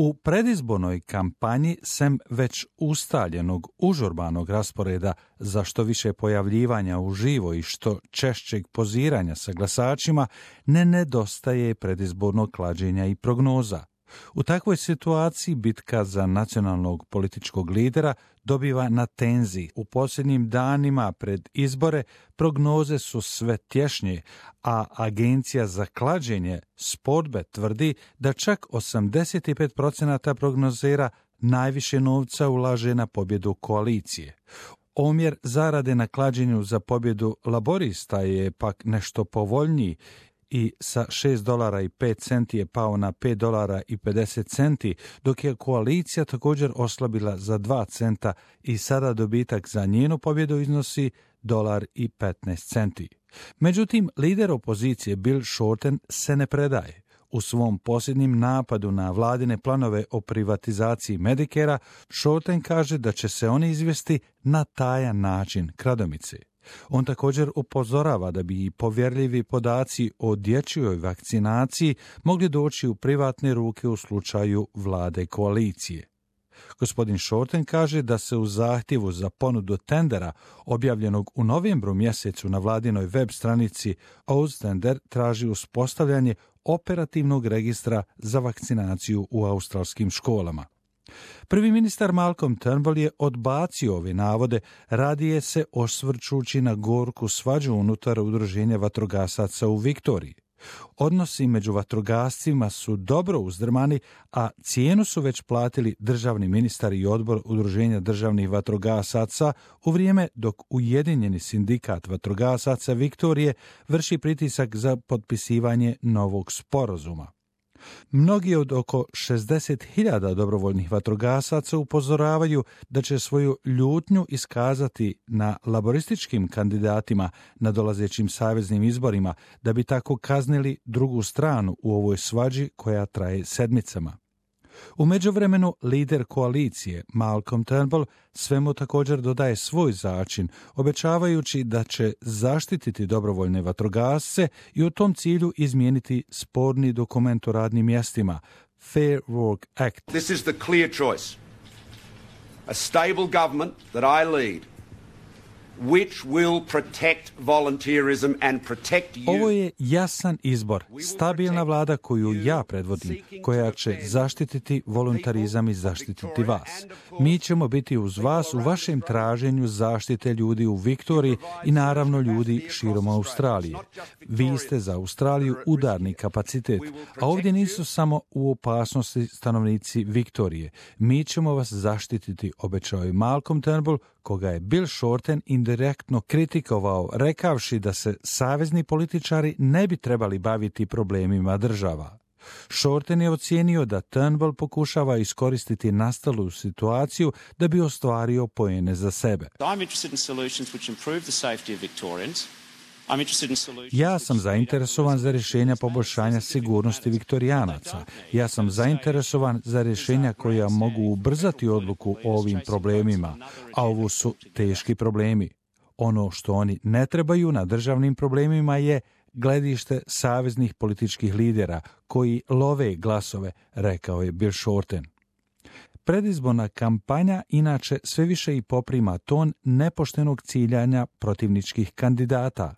U predizbornoj kampanji, sem već ustaljenog užurbanog rasporeda za što više pojavljivanja uživo i što češćeg poziranja sa glasačima, ne nedostaje predizbornog klađenja i prognoza. U takvoj situaciji bitka za nacionalnog političkog lidera dobiva na tenziji. U posljednjim danima pred izbore prognoze su sve tješnje, a agencija za klađenje Sportbet tvrdi da čak 85% prognozera najviše novca ulaže na pobjedu koalicije. Omjer zarade na klađenju za pobjedu laborista je pak nešto povoljniji i sa $6.05 je pao na $5.50, dok je koalicija također oslabila za 2 centa i sada dobitak za njenu pobjedu iznosi $1.15. Međutim, lider opozicije Bill Shorten se ne predaje. U svom posljednjem napadu na vladine planove o privatizaciji Medicarea, Shorten kaže da će se oni izvesti na tajan način kradomice. On također upozorava da bi i povjerljivi podaci o dječjoj vakcinaciji mogli doći u privatne ruke u slučaju vlade koalicije. Gospodin Shorten kaže da se u zahtjevu za ponudu tendera objavljenog u novembru mjesecu na vladinoj web stranici Austender traži uspostavljanje operativnog registra za vakcinaciju u australskim školama. Prvi ministar Malcolm Turnbull je odbacio ove navode, radije se osvrćući na gorku svađu unutar udruženja vatrogasaca u Viktoriji. Odnosi među vatrogascima su dobro uzdrmani, a cijenu su već platili državni ministar i odbor udruženja državnih vatrogasaca u vrijeme dok Ujedinjeni sindikat vatrogasaca Viktorije vrši pritisak za potpisivanje novog sporazuma. Mnogi od oko 60.000 dobrovoljnih vatrogasaca upozoravaju da će svoju ljutnju iskazati na laborističkim kandidatima na dolazećim saveznim izborima, da bi tako kaznili drugu stranu u ovoj svađi koja traje sedmicama. U međuvremenu lider koalicije Malcolm Turnbull svemu također dodaje svoj začin, obećavajući da će zaštititi dobrovoljne vatrogasce i u tom cilju izmijeniti sporni dokument o radnim mjestima, Fair Work Act. This is the clear choice. A stable government that I lead, which will protect volunteerism and protect you. Ovo je jasan izbor, stabilna vlada koju ja predvodim, koja će zaštititi voluntarizam i zaštititi vas. Mi ćemo biti uz vas u vašem traženju zaštite ljudi u Viktoriji i naravno ljudi širom Australije. Vi ste za Australiju udarni kapacitet, a ovdje nisu samo u opasnosti stanovnici Viktorije. Mi ćemo vas zaštititi, obećao je Malcolm Turnbull, koga je Bill Shorten indirektno kritikovao, rekavši da se savezni političari ne bi trebali baviti problemima država. Shorten je ocijenio da Turnbull pokušava iskoristiti nastalu situaciju da bi ostvario poene za sebe. Ja sam zainteresovan za rješenja poboljšanja sigurnosti Viktorijanaca. Ja sam zainteresovan za rješenja koja mogu ubrzati odluku o ovim problemima, a ovo su teški problemi. Ono što oni ne trebaju na državnim problemima je gledište saveznih političkih lidera koji love glasove, rekao je Bill Shorten. Predizborna kampanja inače sve više i poprima ton nepoštenog ciljanja protivničkih kandidata.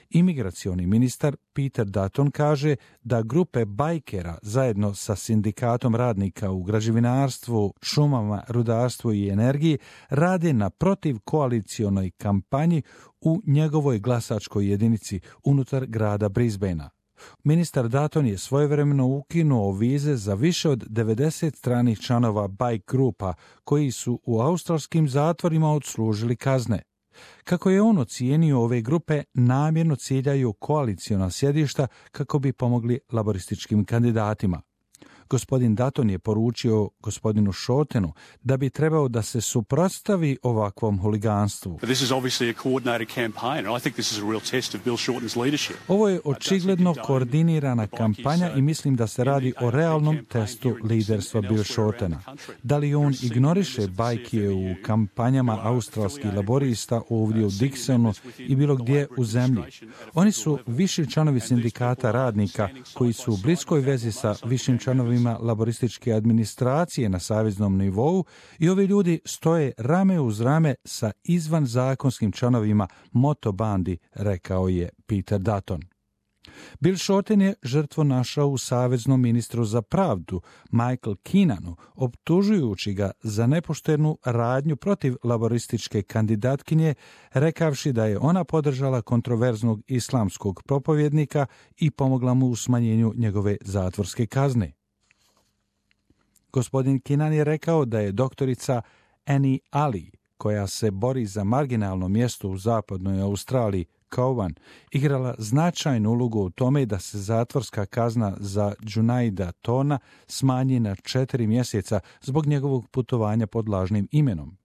Imigracioni ministar Peter Dutton kaže da grupe bajkera zajedno sa sindikatom radnika u građevinarstvu, šumama, rudarstvu i energiji rade na protivkoalicionoj kampanji u njegovoj glasačkoj jedinici unutar grada Brisbanea. Ministar Dutton je svojevremeno ukinuo vize za više od 90 stranih članova bajk grupa koji su u australskim zatvorima odslužili kazne. Kako je on ocijenio, ove grupe namjerno ciljaju koaliciona sjedišta kako bi pomogli laborističkim kandidatima. Gospodin Dutton je poručio gospodinu Shortenu da bi trebao da se suprotstavi ovakvom huliganstvu. Ovo je očigledno koordinirana kampanja i mislim da se radi o realnom testu liderstva Bill Shortena. Da li on ignoriše bajke u kampanjama australskih laborista ovdje u Dixonu i bilo gdje u zemlji? Oni su viši članovi sindikata radnika koji su u bliskoj vezi sa višim članovima članovima laborističke administracije na saveznom nivou i ovi ljudi stoje rame uz rame sa izvanzakonskim članovima motobandi, rekao je Peter Dutton. Bill Shorten je žrtvu našao u saveznom ministru za pravdu, Michael Keenanu, optužujući ga za nepoštenu radnju protiv laborističke kandidatkinje, rekavši da je ona podržala kontroverznog islamskog propovjednika i pomogla mu u smanjenju njegove zatvorske kazne. Gospodin Keenan je rekao da je doktorica Annie Ali, koja se bori za marginalno mjesto u zapadnoj Australiji, Cowan, igrala značajnu ulogu u tome da se zatvorska kazna za Junaida Tona smanji na 4 mjeseca zbog njegovog putovanja pod lažnim imenom.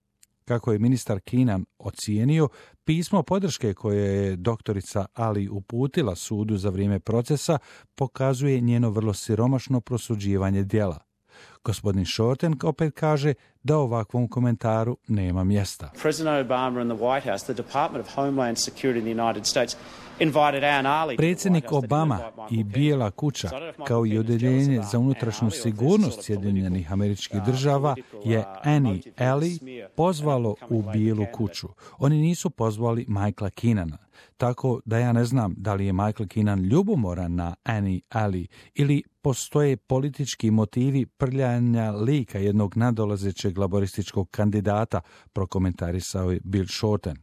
Kako je ministar Keenan ocijenio, pismo podrške koje je doktorica Ali uputila sudu za vrijeme procesa pokazuje njeno vrlo siromašno prosuđivanje djela. Gospodin Shorten opet kaže da ovakvom komentaru nema mjesta. Predsjednik Obama i Bijela kuća, kao i Odjeljenje za unutrašnju sigurnost Sjedinjenih Američkih Država, je Annie Ali pozvalo u Bijelu kuću. Oni nisu pozvali Michaela Keenana. Tako da ja ne znam da li je Michael Keenan ljubomoran na Annie Ali ili postoje politički motivi prljanja lika jednog nadolazećeg laborističkog kandidata, prokomentarisao je Bill Shorten.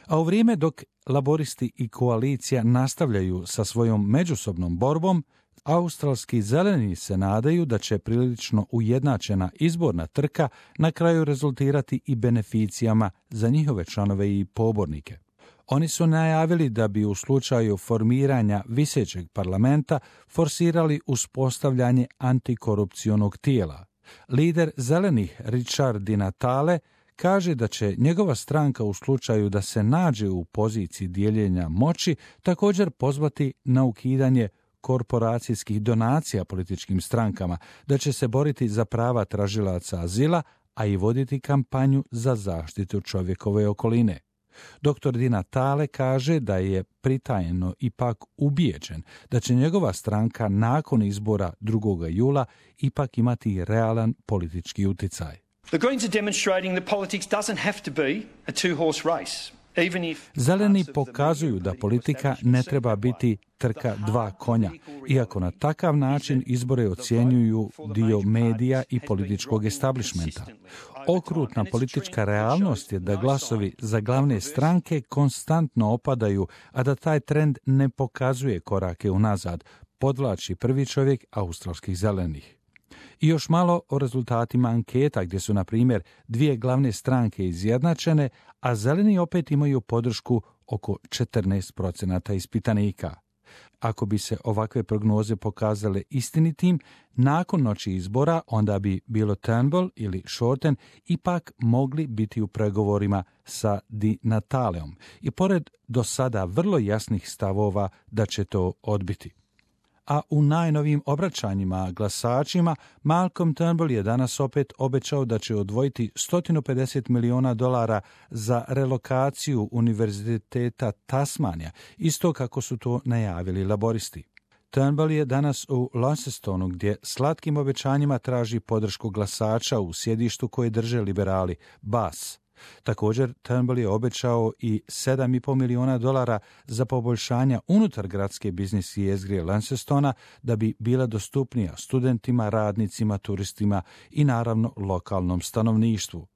A u vrijeme dok laboristi i koalicija nastavljaju sa svojom međusobnom borbom, australski zeleni se nadaju da će prilično ujednačena izborna trka na kraju rezultirati i beneficijama za njihove članove i pobornike. Oni su najavili da bi u slučaju formiranja visećeg parlamenta forsirali uspostavljanje antikorupcionog tijela. Lider zelenih Richard Di Natale kaže da će njegova stranka u slučaju da se nađe u poziciji dijeljenja moći također pozvati na ukidanje korporacijskih donacija političkim strankama, da će se boriti za prava tražilaca azila, a i voditi kampanju za zaštitu čovjekove okoline. Dr. Di Natale kaže da je pritajeno ipak ubijeđen da će njegova stranka nakon izbora 2. jula ipak imati realan politički uticaj. The Greens are demonstrating that politics doesn't have to be a two-horse race. Zeleni pokazuju da politika ne treba biti trka dva konja, iako na takav način izbore ocjenjuju dio medija i političkog establishmenta. Okrutna politička realnost je da glasovi za glavne stranke konstantno opadaju, a da taj trend ne pokazuje korake unazad, podvlači prvi čovjek australskih zelenih. I još malo o rezultatima anketa gdje su, na primjer, 2 glavne stranke izjednačene, a zeleni opet imaju podršku oko 14% ispitanika. Ako bi se ovakve prognoze pokazale istinitim, nakon noći izbora onda bi bilo Turnbull ili Shorten ipak mogli biti u pregovorima sa Di Nataleom i pored do sada vrlo jasnih stavova da će to odbiti. A u najnovijim obraćanjima glasačima Malcolm Turnbull je danas opet obećao da će odvojiti $150 milijuna za relokaciju Univerziteta Tasmanija, isto kako su to najavili laboristi. Turnbull je danas u Launcestonu, gdje slatkim obećanjima traži podršku glasača u sjedištu koje drže liberali, Bass. Također, Turnbull je obećao i $7,5 milijuna za poboljšanja unutar gradske biznis jezgre Launcestona da bi bila dostupnija studentima, radnicima, turistima i naravno lokalnom stanovništvu.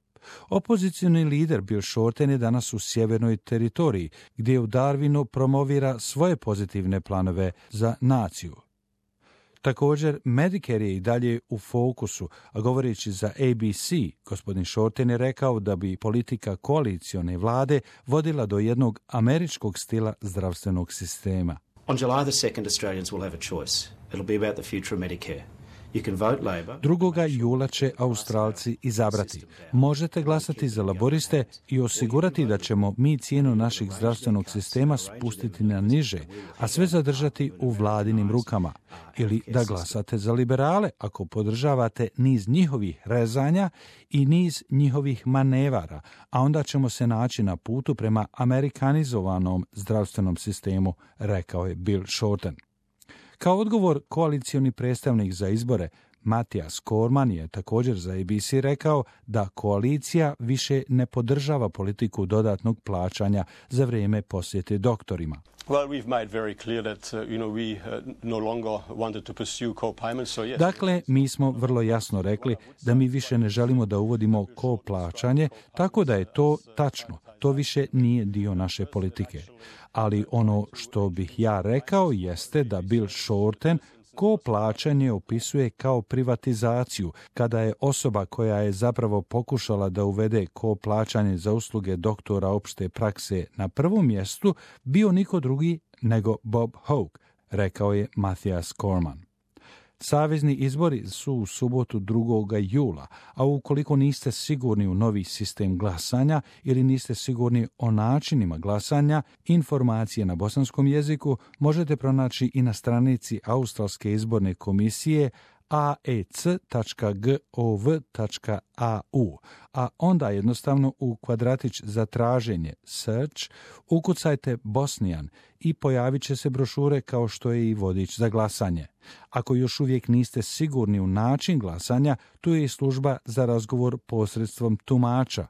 Opozicioni lider Bill Shorten je danas u sjevernoj teritoriji, gdje u Darwinu promovira svoje pozitivne planove za naciju. Također, Medicare je i dalje u fokusu, a govoreći za ABC, gospodin Shorten je rekao da bi politika koalicione vlade vodila do jednog američkog stila zdravstvenog sistema. On July the 2nd, Australians will have a choice. It'll be about the future of Medicare. 2. jula će Australci izabrati. Možete glasati za laboriste i osigurati da ćemo mi cijenu našeg zdravstvenog sistema spustiti na niže, a sve zadržati u vladinim rukama. Ili da glasate za liberale ako podržavate niz njihovih rezanja i niz njihovih manevara, a onda ćemo se naći na putu prema amerikanizovanom zdravstvenom sistemu, rekao je Bill Shorten. Kao odgovor, koalicioni predstavnik za izbore Mathias Cormann je također za ABC rekao da koalicija više ne podržava politiku dodatnog plaćanja za vrijeme posjete doktorima. Dakle, mi smo vrlo jasno rekli da mi više ne želimo da uvodimo plaćanje, tako da je to tačno. To više nije dio naše politike. Ali ono što bih ja rekao jeste da Bill Shorten plaćanje opisuje kao privatizaciju, kada je osoba koja je zapravo pokušala da uvede plaćanje za usluge doktora opšte prakse na prvom mjestu bio niko drugi nego Bob Hawke, rekao je Mathias Cormann. Savezni izbori su u subotu 2. jula, a ukoliko niste sigurni u novi sistem glasanja ili niste sigurni o načinima glasanja, informacije na bosanskom jeziku možete pronaći i na stranici Australske izborne komisije aec.gov.au, a onda jednostavno u kvadratić za traženje search ukucajte Bosnijan i pojavit će se brošure kao što je i vodič za glasanje. Ako još uvijek niste sigurni u način glasanja, tu je i služba za razgovor posredstvom tumača.